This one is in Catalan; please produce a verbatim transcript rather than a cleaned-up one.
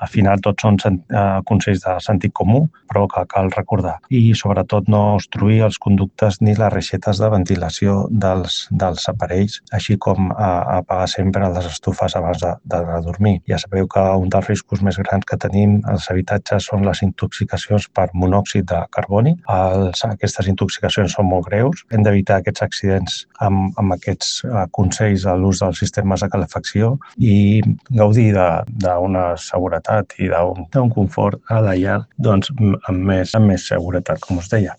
al final tots són consells de sentit comú, però que cal recordar. I sobretot no obstruir els conductes ni les reixetes de ventilació dels, dels aparells, així com a, apagar sempre les estufes abans de, de dormir. Ja sabeu que un dels riscos més grans que tenim als habitatges són les intoxicacions per monòxid de carboni. Els, aquestes intoxicacions són molt greus. Hem d'evitar aquests accidents amb, amb aquests uh, consells a l'ús dels sistemes de calefacció i gaudir d'una seguretat i d'un confort a la llar doncs, amb, més, amb més seguretat, com us deia.